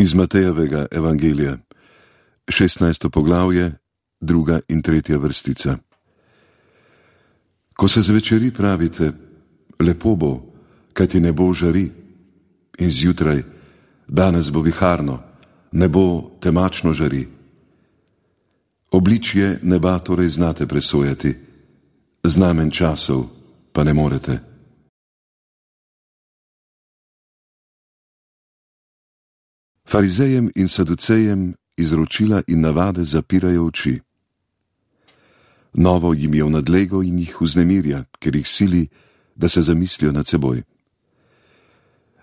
Iz Matejevega evangelija, 16. poglavje, 2. in 3. vrstica. Ko se zvečeri, pravite, lepo bo, kajti nebo žari, in zjutraj, danes bo viharno, nebo temačno žari. Obličje neba torej znate presojati, znamen časov pa ne morete. Farizejem in saducejem izročila in navade zapirajo oči. Novo jim je v nadlego in jih vznemirja, ker jih sili, da se zamislijo nad seboj.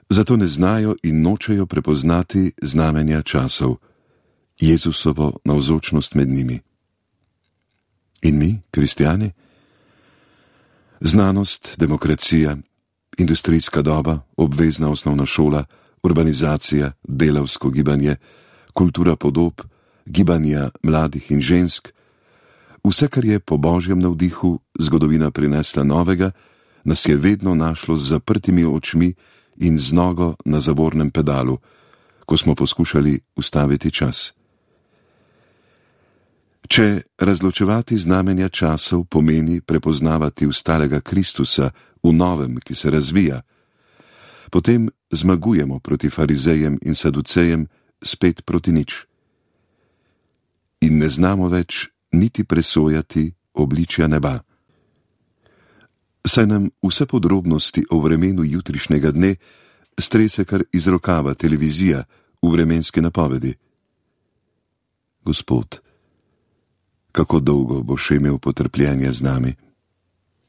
Zato ne znajo in nočejo prepoznati znamenja časov, Jezusovo navzočnost med njimi. In mi, kristjani? Znanost, demokracija, industrijska doba, obvezna osnovna šola, urbanizacija, delavsko gibanje, kultura podob, gibanja mladih in žensk, vse, kar je po božjem navdihu zgodovina prinesla novega, nas je vedno našlo z zaprtimi očmi in z nogo na zavornem pedalu, ko smo poskušali ustaviti čas. Če razločevati znamenja časov pomeni prepoznavati ustalega Kristusa v novem, ki se razvija, potem zmagujemo proti farizejem in saducejem spet proti nič. In ne znamo več niti presojati obličja neba. Saj nam vse podrobnosti o vremenu jutrišnjega dne strese kar iz rokava televizija v vremenski napovedi. Gospod, kako dolgo boš imel potrpljenje z nami?